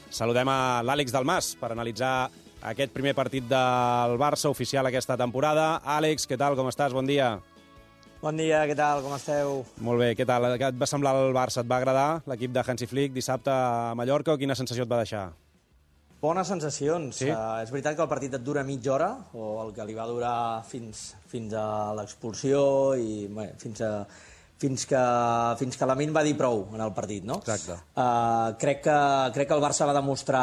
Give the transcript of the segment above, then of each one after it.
Saludem a l'Àlex Dalmas per analitzar aquest primer partit del Barça oficial aquesta temporada. Àlex, què tal, com estàs? Bon dia. Bon dia, què tal, com esteu? Molt bé, què tal? Què et va semblar el Barça? Et va agradar l'equip de Hansi Flick dissabte a Mallorca o quina sensació et va deixar? Bones sensacions. Sí? És veritat que el partit et dura mitja hora, o el que li va durar fins a l'expulsió i bé, fins que Lamine va dir prou en el partit, no? Exacte. Crec que el Barça va demostrar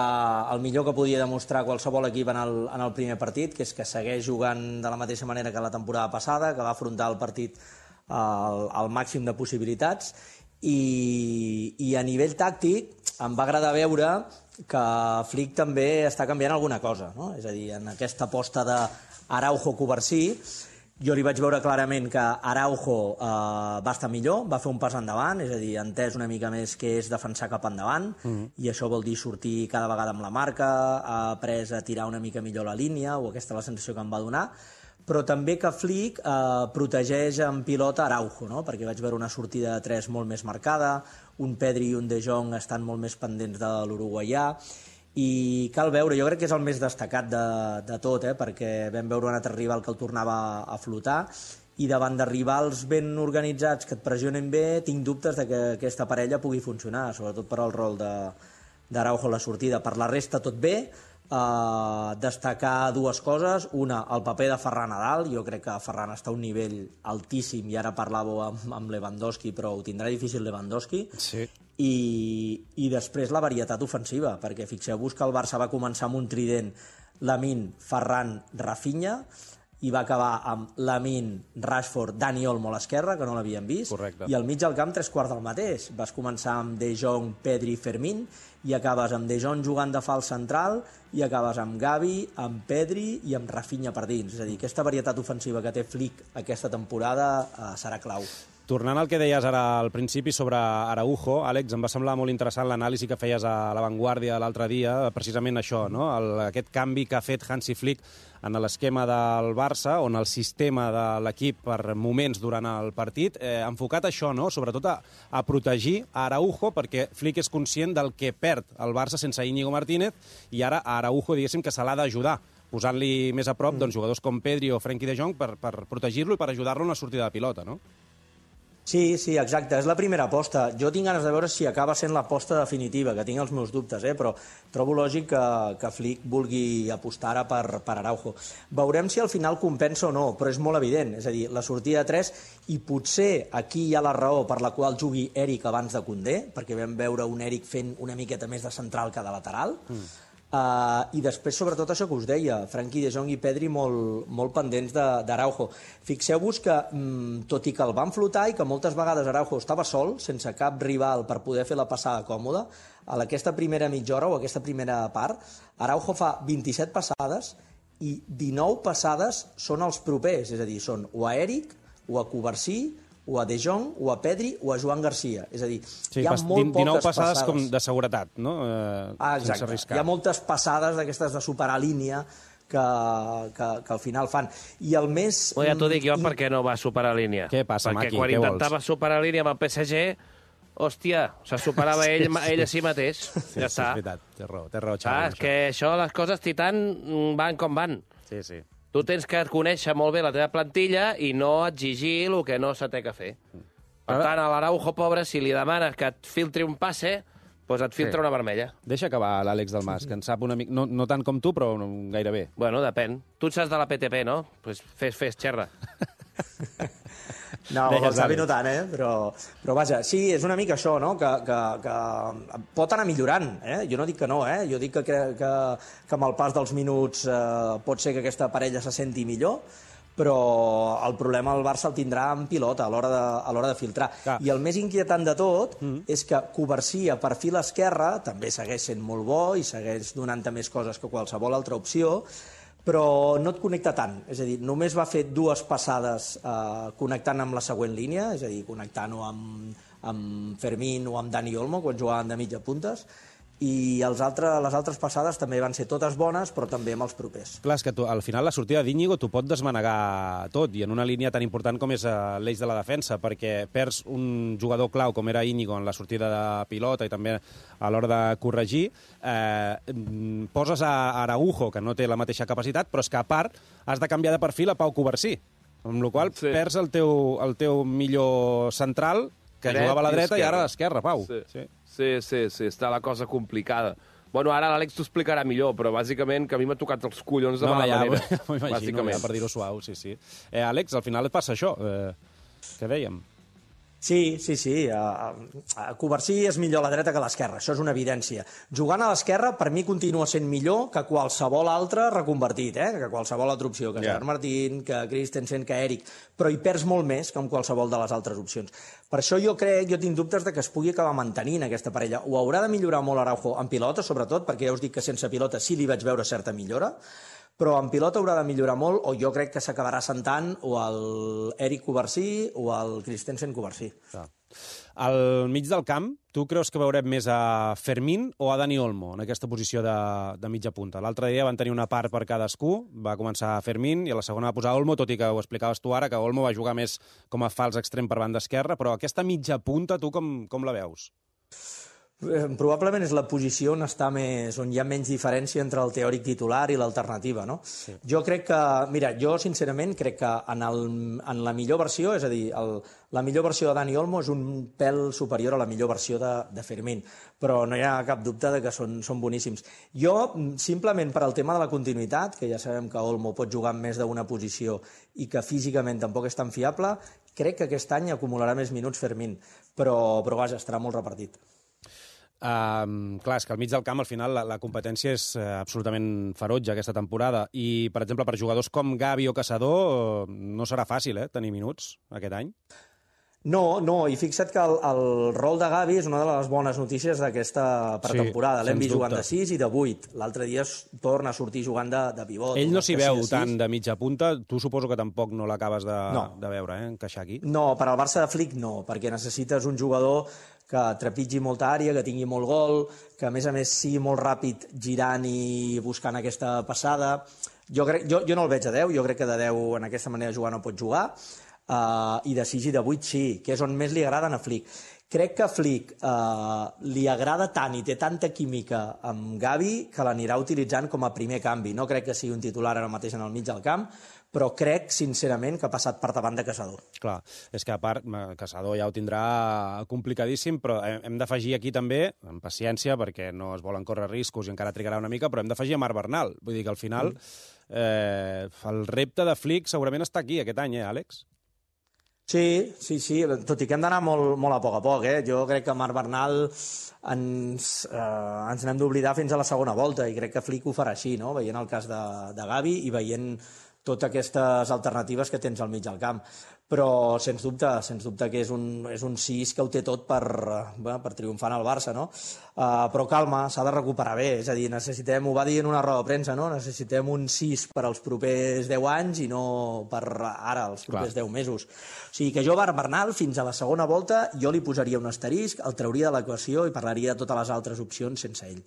el millor que podia demostrar qualsevol equip en el primer partit, que és que segueix jugant de la mateixa manera que la temporada passada, que va afrontar el partit al màxim de possibilitats, i a nivell tàctic em va agradar veure que Flick també està canviant alguna cosa, no? És a dir, en aquesta aposta d'Araujo-Covarsí, jo li vaig veure clarament que Araujo va estar millor, va fer un pas endavant, és a dir, ha entès una mica més que és defensar cap endavant, i això vol dir sortir cada vegada amb la marca, ha après a tirar una mica millor la línia, o aquesta és la sensació que em va donar, però també que Flick protegeix en pilota Araujo, no? Perquè vaig veure una sortida de 3 molt més marcada, un Pedri i un De Jong estan molt més pendents de l'uruguaià, i cal veure, jo crec que és el més destacat de tot, perquè vam veure un altre rival que el tornava a flotar, i davant de rivals ben organitzats que et pressionen bé, tinc dubtes de que aquesta parella pugui funcionar, sobretot per al rol d'Araujo a la sortida. Per la resta tot bé, destacar dues coses. Una, el paper de Ferran Nadal. Jo crec que Ferran està a un nivell altíssim, i ara parlàveu amb Lewandowski, però ho tindrà difícil Lewandowski. Sí. I després la varietat ofensiva, perquè fixeu-vos que el Barça va començar amb un trident Lamine, Ferran, Rafinha, i va acabar amb Lamine, Rashford, Dani Olmo a l'esquerra, que no l'havíem vist. Correcte. I al mig del camp 3/4 del mateix. Vas començar amb De Jong, Pedri, Fermín, i acabes amb De Jong jugant de fals central, i acabes amb Gavi, amb Pedri i amb Rafinha per dins. És a dir, aquesta varietat ofensiva que té Flick aquesta temporada serà clau. Tornant al que deies ara al principi sobre Araujo, Àlex, em va semblar molt interessant l'anàlisi que feies a La Vanguardia l'altre dia, precisament això, no? Aquest canvi que ha fet Hansi Flick en l'esquema del Barça, on el sistema de l'equip per moments durant el partit, enfocat a això, no? Sobretot a protegir a Araujo, perquè Flick és conscient del que perd el Barça sense Íñigo Martínez, i ara a Araujo, diguéssim, que se l'ha d'ajudar, posant-li més a prop jugadors com Pedri o Frenkie de Jong per protegir-lo i per ajudar-lo en la sortida de pilota, no? Sí, exacte, és la primera aposta. Jo tinc ganes de veure si acaba sent l'aposta definitiva, que tinc els meus dubtes, però trobo lògic que Flick vulgui apostar ara per Araujo. Veurem si al final compensa o no, però és molt evident, és a dir, la sortida de 3, i potser aquí hi ha la raó per la qual jugui Eric abans de Koundé, perquè vam veure un Eric fent una miqueta més de central que de lateral, i després, sobretot, això que us deia, Frenkie de Jong i Pedri molt pendents d'Araujo. Fixeu-vos que, tot i que el van flotar i que moltes vegades Araujo estava sol, sense cap rival per poder fer la passada còmoda, a aquesta primera mitja hora o aquesta primera part, Araujo fa 27 passades i 19 passades són els propers, és a dir, són o a Eric, o a Covarsí, o a De Jong, o a Pedri, o a Joan Garcia. És a dir, sí, hi ha molt poques passades com de seguretat, no? Exacte. Hi ha moltes passades d'aquestes de superar línia que al final fan. I el més... Ja t'ho dic jo perquè no va superar línia. Què passa, Maki? Perquè quan intentava superar línia amb el PSG, hòstia, se superava ell a si mateix. Ja està. És veritat, té raó, Xavi. És que això, les coses Titan van com van. Sí. Tu tens que conèixer molt bé la teva plantilla i no exigir el que no se té que fer. Per tant, a l'Araujo, pobre, si li demanes que et filtri un passe, doncs et filtra una vermella. Deixa acabar l'Àlex Dalmas, que en sap una mica... No tant com tu, però gairebé. Bueno, depèn. Tu saps de la PTP, no? Doncs fes, xerra. No, el Xavi no tant, però vaja, sí, és una mica això, no? Que pot anar millorant, jo no dic que no, jo dic que amb el pas dels minuts pot ser que aquesta parella se senti millor, però el problema el Barça el tindrà en pilota a l'hora de filtrar. Clar. I el més inquietant de tot és que Covarsí a perfil esquerre també segueix sent molt bo i segueix donant-te més coses que qualsevol altra opció, però no et connecta tant. És a dir, només va fer 2 passades connectant amb la següent línia, és a dir, connectant-ho amb Fermín o amb Dani Olmo, quan jugaven de mitja puntes, i les altres passades també van ser totes bones, però també amb els propers. Clar, és que al final la sortida d'Íñigo t'ho pot desmanegar tot, i en una línia tan important com és l'eix de la defensa, perquè perds un jugador clau com era Íñigo en la sortida de pilota i també a l'hora de corregir, poses a Araujo, que no té la mateixa capacitat, però és que a part has de canviar de perfil a Pau Covarsí, amb la qual cosa perds el teu millor central, que jugava a la dreta i ara a l'esquerra, Pau. Sí, està la cosa complicada. Bueno, ara l'Àlex t'ho explicarà millor, però bàsicament que a mi m'ha tocat els collons de mala manera. M'ho imagino, per dir-ho suau, sí. Àlex, al final et passa això, que dèiem. Sí. Covarsí és millor a la dreta que a l'esquerra, això és una evidència. Jugant a l'esquerra, per mi, continua sent millor que qualsevol altre reconvertit, que qualsevol altra opció, que Gerard Martín, que Christensen, que Eric, però hi perds molt més que amb qualsevol de les altres opcions. Per això jo tinc dubtes de que es pugui acabar mantenint aquesta parella. Ho haurà de millorar molt Araujo en pilota, sobretot, perquè ja us dic que sense pilota sí li vaig veure certa millora, però en pilota haurà de millorar molt, o jo crec que s'acabarà sentant o el Eric Covarsí o el Christensen Covarsí. Al mig del camp, tu creus que veurem més a Fermín o a Dani Olmo en aquesta posició de mitja punta? L'altre dia van tenir una part per cadascú, va començar Fermín i a la segona va posar Olmo, tot i que ho explicaves tu ara, que Olmo va jugar més com a fals extrem per banda esquerra, però aquesta mitja punta, tu com la veus? Probablement és la posició on hi ha menys diferència entre el teòric titular i l'alternativa, no? Sí. Jo crec que, jo sincerament crec que en la millor versió, és a dir, la millor versió de Dani Olmo és un pèl superior a la millor versió de Fermín, però no hi ha cap dubte de que són boníssims. Jo, simplement per al tema de la continuïtat, que ja sabem que Olmo pot jugar en més d'una posició i que físicament tampoc és tan fiable, crec que aquest any acumularà més minuts Fermín, però vaja, estarà molt repartit. Clar, és que al mig del camp al final la competència és absolutament ferotge aquesta temporada i, per exemple, per jugadors com Gavi o Caçador no serà fàcil tenir minuts aquest any. No, i fixa't que el rol de Gavi és una de les bones notícies d'aquesta pretemporada. L'hem vist jugant de 6 i de 8. L'altre dia torna a sortir jugant de pivot. Ell no s'hi veu tant de mitja punta. Tu suposo que tampoc no l'acabes de veure, encaixar aquí. No, per al Barça de Flick no, perquè necessites un jugador que trepitgi molta àrea, que tingui molt gol, que a més sigui molt ràpid girant i buscant aquesta passada. Jo no el veig a 10, jo crec que de 10 en aquesta manera de jugar no pot jugar, i de 6 i de 8 sí, que és on més li agraden a Flick. Crec que a Flick li agrada tant i té tanta química amb Gavi que l'anirà utilitzant com a primer canvi. No crec que sigui un titular ara mateix en el mig del camp, però crec, sincerament, que ha passat per davant de Caçador. Clar, és que a part, Caçador ja ho tindrà complicadíssim, però hem d'afegir aquí també, amb paciència, perquè no es volen córrer riscos i encara trigarà una mica, però hem d'afegir a Marc Bernal. Vull dir que al final el repte de Flick segurament està aquí aquest any, Àlex? Sí, tot i que hem d'anar molt a poc. Jo crec que Marc Bernal ens n'hem d'oblidar fins a la segona volta i crec que Flick ho farà així, no? Veient el cas de Gavi i veient totes aquestes alternatives que tens al mig del camp. Però, sens dubte que és un 6 que ho té tot per triomfar en el Barça, no? Però calma, s'ha de recuperar bé, és a dir, ho va dir en una roda de premsa, no? Necessitem un 6 per als propers 10 anys i no per ara, els propers 10 mesos. O sigui que jo, Bernal, fins a la segona volta, jo li posaria un asterisc, el trauria de l'equació i parlaria de totes les altres opcions sense ell.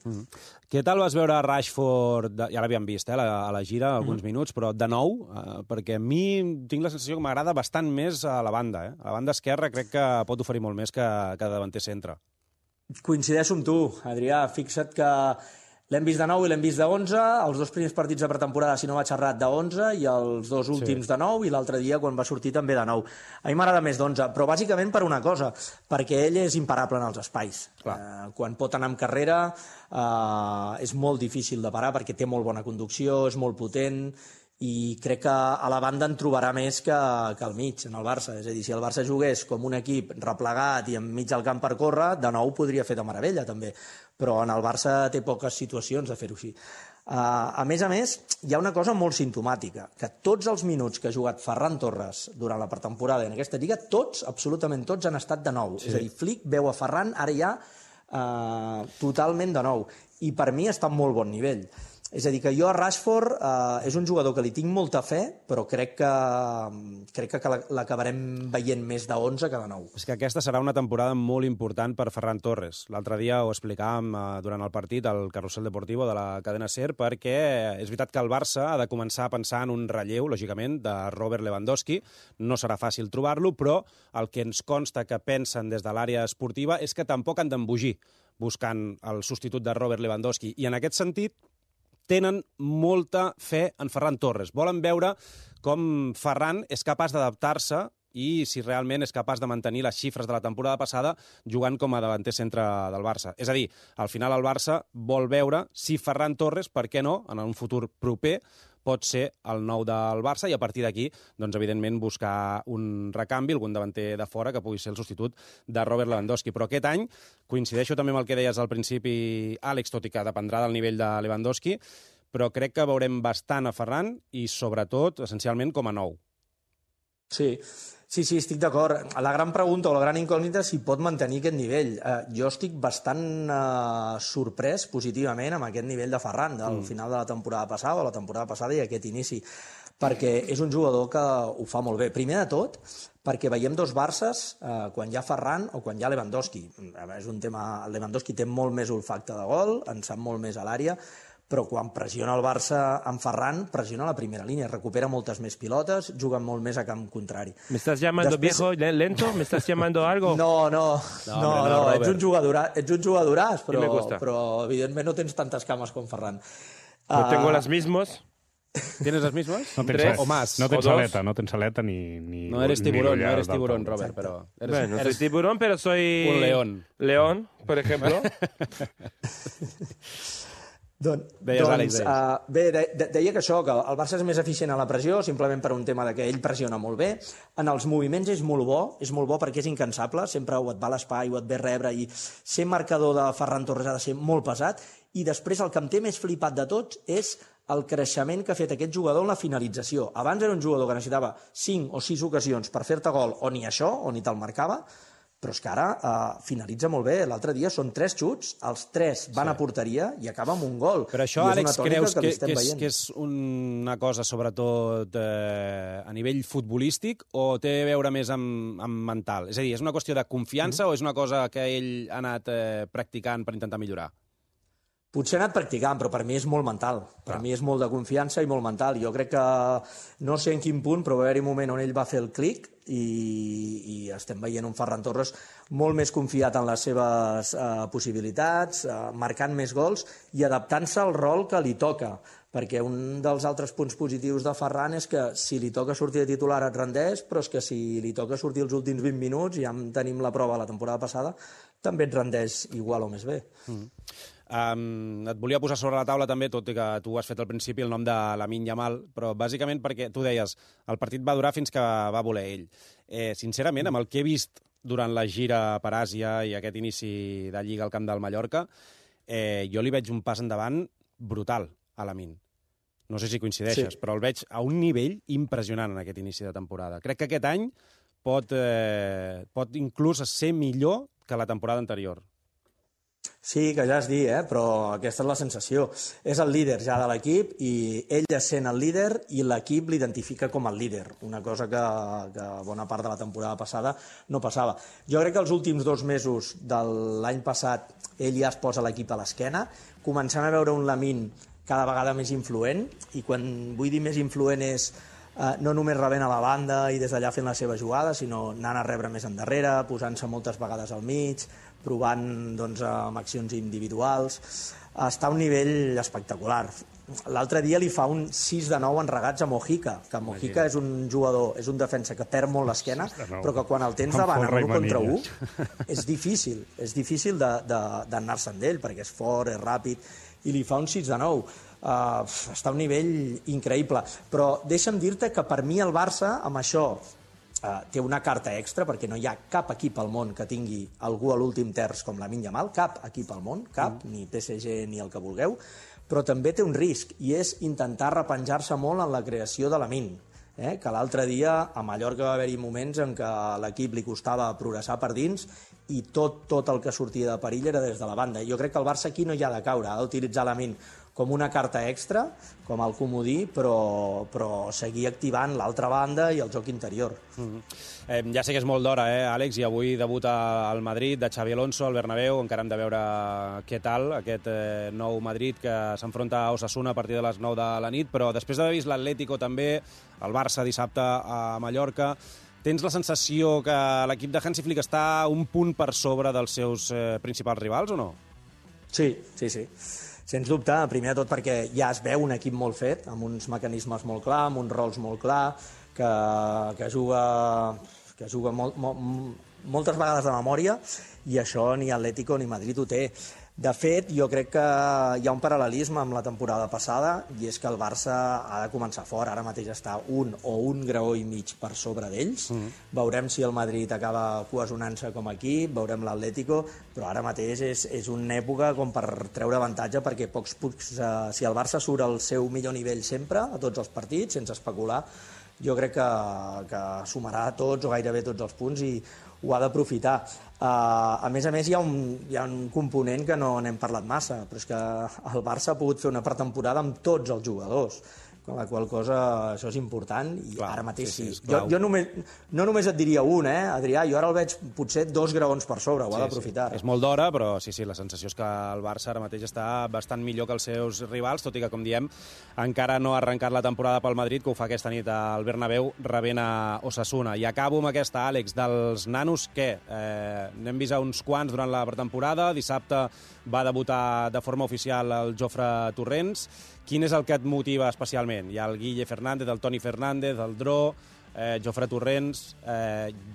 Què tal vas veure Rashford, ja l'havíem vist a la gira, alguns minuts, però de nou, perquè a mi tinc la sensació que m'agrada bastant més a la banda. A la banda esquerra crec que pot oferir molt més que davanter centre. Coincideixo amb tu, Adrià. Fixa't que l'hem vist de 9 i l'hem vist de 11, els 2 primers partits de pretemporada, si no vaig errat, de 11, i els 2 últims de 9, i l'altre dia, quan va sortir, també de 9. A mi m'agrada més d'11, però bàsicament per una cosa, perquè ell és imparable en els espais. Quan pot anar amb carrera és molt difícil de parar, perquè té molt bona conducció, és molt potent, i crec que a la banda en trobarà més que al mig, en el Barça. És a dir, si el Barça jugués com un equip replegat i enmig del camp per córrer, de nou podria fer de meravella, també. Però en el Barça té poques situacions de fer-ho així. A més, hi ha una cosa molt simptomàtica, que tots els minuts que ha jugat Ferran Torres durant la pretemporada en aquesta lliga, absolutament tots, han estat de nou. És a dir, Flick veu a Ferran ara ja totalment de nou. I per mi està en molt bon nivell. És a dir, que jo a Rashford és un jugador que li tinc molta fe, però crec que l'acabarem veient més de 11 que de 9. És que aquesta serà una temporada molt important per Ferran Torres. L'altre dia ho explicàvem durant el partit al Carrusel Deportivo de la cadena SER, perquè és veritat que el Barça ha de començar a pensar en un relleu, lògicament, de Robert Lewandowski. No serà fàcil trobar-lo, però el que ens consta que pensen des de l'àrea esportiva és que tampoc han d'embogir buscant el substitut de Robert Lewandowski. I en aquest sentit, tenen molta fe en Ferran Torres. Volen veure com Ferran és capaç d'adaptar-se i si realment és capaç de mantenir les xifres de la temporada passada jugant com a davanter centre del Barça. És a dir, al final el Barça vol veure si Ferran Torres, per què no, en un futur proper, pot ser el nou del Barça i a partir d'aquí, doncs, evidentment, buscar un recanvi, algun davanter de fora que pugui ser el substitut de Robert Lewandowski. Però aquest any, coincideixo també amb el que deies al principi, Àlex, tot i que dependrà del nivell de Lewandowski, però crec que veurem bastant a Ferran i, sobretot, essencialment, com a nou. Sí, estic d'acord. La gran pregunta o la gran incògnita és si pot mantenir aquest nivell. Jo estic bastant sorprès positivament amb aquest nivell de Ferran del final de la temporada passada o la temporada passada i aquest inici, perquè és un jugador que ho fa molt bé. Primer de tot, perquè veiem dos Barces quan hi ha Ferran o quan hi ha Lewandowski. És un tema... Lewandowski té molt més olfacte de gol, en sap molt més a l'àrea, però quan pressiona el Barça amb Ferran, pressiona la primera línia, recupera moltes més pilotes, juga molt més a camp contrari. ¿Me estás llamando viejo lento? ¿Me estás llamando algo? No, ets un jugadoràs, però evidentment no tens tantes cames com Ferran. No tengo las mismas. ¿Tienes las mismas? No ¿Tres o más? No tens aleta ni... No eres tiburón, Robert, pero... Bueno, soy tiburón, pero soy... Un león. León, por ejemplo. Deia que això, que el Barça és més eficient a la pressió, simplement per un tema de que ell pressiona molt bé. En els moviments és molt bo perquè és incansable, sempre o et va a l'espai o et ve rebre, i ser marcador de Ferran Torres ha de ser molt pesat. I després el que em té més flipat de tots és el creixement que ha fet aquest jugador en la finalització. Abans era un jugador que necessitava 5 o 6 ocasions per fer-te gol, o ni això, o ni te'l marcava, però és que ara finalitza molt bé. L'altre dia són 3 xuts, els 3 van a porteria i acaba amb un gol. Però això, Àlex, creus que és una cosa, sobretot, a nivell futbolístic o té a veure més amb mental? És a dir, és una qüestió de confiança o és una cosa que ell ha anat practicant per intentar millorar? Potser ha anat practicant, però per mi és molt mental. Per mi és molt de confiança i molt mental. Jo crec que, no sé en quin punt, però va haver-hi un moment on ell va fer el clic i estem veient un Ferran Torres molt més confiat en les seves possibilitats, marcant més gols i adaptant-se al rol que li toca. Perquè un dels altres punts positius de Ferran és que si li toca sortir de titular et rendeix, però és que si li toca sortir els últims 20 minuts, ja en tenim la prova la temporada passada, també et rendeix igual o més bé. Et volia posar sobre la taula també, tot i que tu has fet al principi el nom de Lamine Yamal, però bàsicament perquè tu deies el partit va durar fins que va voler ell. Sincerament, amb el que he vist durant la gira per Àsia i aquest inici de Lliga al camp del Mallorca, jo li veig un pas endavant brutal a Lamine. No sé si coincideixes, però el veig a un nivell impressionant en aquest inici de temporada. Crec que aquest any pot inclús ser millor que la temporada anterior. Sí, que ja has dit, però aquesta és la sensació. És el líder ja de l'equip i ell és sent el líder i l'equip l'identifica com el líder, una cosa que bona part de la temporada passada no passava. Jo crec que els últims 2 mesos de l'any passat ell ja es posa l'equip a l'esquena, començant a veure un Lamine cada vegada més influent, i quan vull dir més influent és no només rebent a la banda i des d'allà fent la seva jugada, sinó anant a rebre més endarrere, posant-se moltes vegades al mig, provant amb accions individuals. Està a un nivell espectacular. L'altre dia li fa un 6 de 9 en regats a Mojica, que Mojica és un jugador, és un defensa que perd molt l'esquena, però que quan el tens davant amb 1 contra 1 és difícil d'anar-se amb ell, perquè és fort, és ràpid, i li fa un 6 de 9. Està a un nivell increïble. Però deixa'm dir-te que per mi el Barça, amb això, té una carta extra, perquè no hi ha cap equip al món que tingui algú a l'últim terç com Lamine Yamal, cap equip al món, cap, ni PSG ni el que vulgueu, però també té un risc, i és intentar repenjar-se molt en la creació de Lamine, que l'altre dia a Mallorca va haver-hi moments en què a l'equip li costava progressar per dins i tot el que sortia de perill era des de la banda. Jo crec que el Barça aquí no hi ha de caure, ha d'utilitzar Lamine com una carta extra, com el comodí, però seguir activant l'altra banda i el joc interior. Ja sé que és molt d'hora, Àlex, i avui debuta al Madrid de Xavi Alonso, al Bernabéu. Encara hem de veure què tal aquest nou Madrid que s'enfronta a Osasuna a partir de les 9 de la nit, però després d'haver vist l'Atlético també, el Barça dissabte a Mallorca, tens la sensació que l'equip de Hansi Flick està un punt per sobre dels seus principals rivals o no? Sí. Sens dubte, primer de tot perquè ja es veu un equip molt fet, amb uns mecanismes molt clars, amb uns rols molt clars, que juga moltes vegades de memòria, i això ni Atlético ni Madrid ho té. De fet, jo crec que hi ha un paral·lelisme amb la temporada passada, i és que el Barça ha de començar fort. Ara mateix està un graó i mig per sobre d'ells. Veurem si el Madrid acaba cohesionant-se com a equip, veurem l'Atlético, però ara mateix és una època com per treure avantatge, perquè si el Barça surt al seu millor nivell sempre, a tots els partits, sense especular, jo crec que sumarà tots o gairebé tots els punts i ho ha d'aprofitar. A més, hi ha un component que no n'hem parlat massa, però és que el Barça ha pogut fer una pretemporada amb tots els jugadors, amb la qual cosa això és important, i clar, ara mateix sí. Jo no només et diria un, Adrià, jo ara el veig potser 2 graons per sobre, ho ha d'aprofitar. És molt d'hora, però sí, la sensació és que el Barça ara mateix està bastant millor que els seus rivals, tot i que, com diem, encara no ha arrencat la temporada pel Madrid, que ho fa aquesta nit al Bernabéu, rebent a Osasuna. I acabo amb aquesta, Àlex, dels nanos, què? N'hem vist uns quants durant la pretemporada, dissabte va debutar de forma oficial el Jofre Torrents. Quin és el que et motiva especialment? Hi ha el Guille Fernández, el Toni Fernández, el Dro, Jofre Torrents...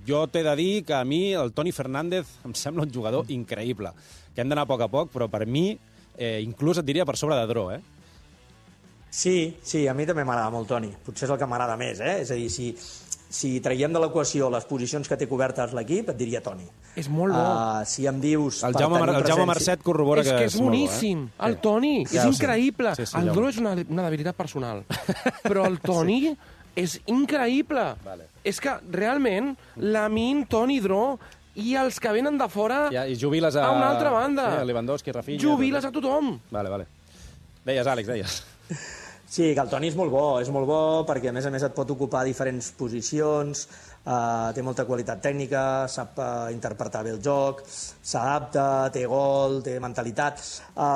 Jo t'he de dir que a mi el Toni Fernández em sembla un jugador increïble, que hem d'anar a poc, però per mi, inclús et diria per sobre de Dro, Sí, a mi també m'agrada molt Toni. Potser és el que m'agrada més, És a dir, si traiem de l'equació les posicions que té cobertes l'equip, et diria Toni. És molt bo. Si em dius... El Jaume Marcet corrobora que és molt boníssim. Bo, El Toni és increïble. El Dro és una debilitat personal. Però el Toni és increïble. És que, realment, Lamine, Toni, Dro i els que venen de fora i jubiles a una altra banda. Sí, Lewandowski, Rafinha... Jubiles a tothom. Vale. Deies, Àlex, deies. Sí, que el Toni és molt bo perquè a més et pot ocupar diferents posicions, té molta qualitat tècnica, sap interpretar bé el joc, s'adapta, té gol, té mentalitat.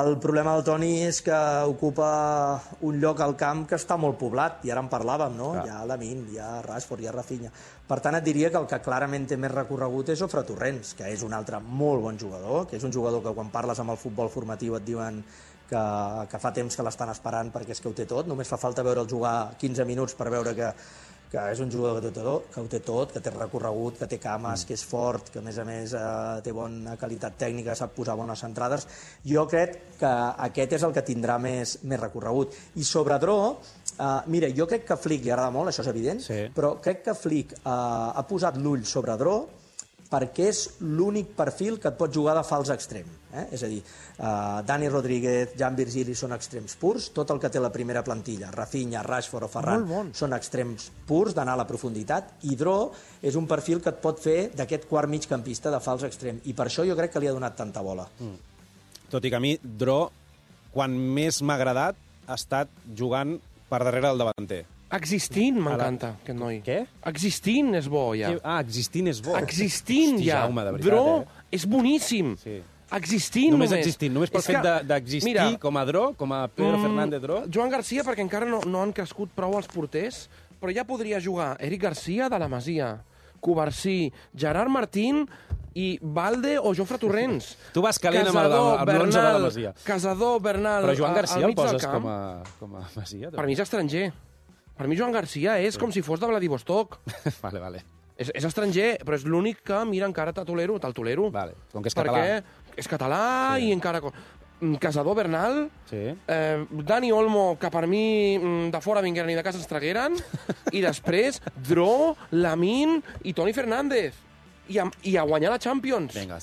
El problema del Toni és que ocupa un lloc al camp que està molt poblat, i ara en parlàvem, no? Hi ha Lamine, hi ha Rashford, hi ha Rafinha. Per tant, et diria que el que clarament té més recorregut és Jofre Torrents, que és un altre molt bon jugador, que és un jugador que quan parles amb el futbol formatiu et diuen que fa temps que l'estan esperant perquè és que ho té tot. Només fa falta veure'l jugar 15 minuts per veure que és un jugador que ho té tot, que té recorregut, que té cames, que és fort, que a més té bona qualitat tècnica, sap posar bones centrades. Jo crec que aquest és el que tindrà més recorregut. I sobre Dro, mira, jo crec que Flick li agrada molt, això és evident, però crec que Flick ha posat l'ull sobre Dro perquè és l'únic perfil que et pot jugar de fals extrem. És a dir, Dani Rodríguez, Jan Virgili són extrems purs, tot el que té la primera plantilla, Rafinha, Rashford o Ferran, són extrems purs d'anar a la profunditat, i Dro és un perfil que et pot fer d'aquest quart migcampista de fals extrem, i per això jo crec que li ha donat tanta bola. Tot i que a mi, Dro, quan més m'ha agradat, ha estat jugant per darrere del davanter. Existint m'encanta, aquest noi. Què? Existint és bo, ja. Existint és bo. Existint, ja. Jaume, de veritat, Dro és boníssim. Existint només. Només pel fet d'existir com a Dro, com a Pedro Fernández Dro. Joan Garcia, perquè encara no han crescut prou els porters, però ja podria jugar Eric Garcia de la Masia, Covarsí, Gerard Martín i Valde o Jofre Torrents. Tu vas calent amb l'11 de la Masia. Casador, Bernal, però Joan Garcia el poses com a Masia? Per mi és estranger. Per mi Joan Garcia és com si fos de Vladivostok. Vale. És estranger, però és l'únic que mira encara te'l tolero. Vale, com que és català. Perquè és català i encara... Casador, Bernal, sí. Dani Olmo, que per mi de fora vingueren i de casa ens tragueren, i després Dro, Lamine i Toni Fernández. I a guanyar la Champions. Vinga,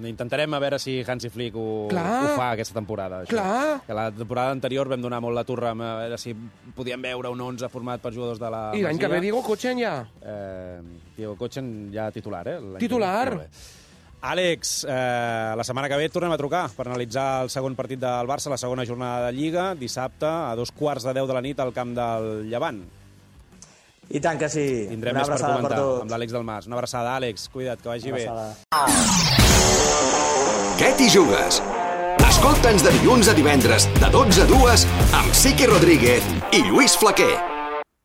intentarem a veure si Hansi Flick ho fa aquesta temporada. Això. Clar. Que la temporada anterior vam donar molt la turra a veure si podíem veure un 11 format per jugadors de la Masia. I l'any que ve Diego Kochen ja. Diego Kochen ja titular, Titular. Àlex, la setmana que ve et tornem a trucar per analitzar el segon partit del Barça, la segona jornada de Lliga, dissabte a 2:15 de la nit al camp del Llevant. I tant que sí. Tindrem més per comentar amb l'Àlex Delmas. Una abraçada, Àlex. Cuida't, que vagi bé. Què t'hi jugues? Escolta'ns de dilluns a divendres, de 12 a 2, amb Siqui Rodríguez i Lluís Flaquer.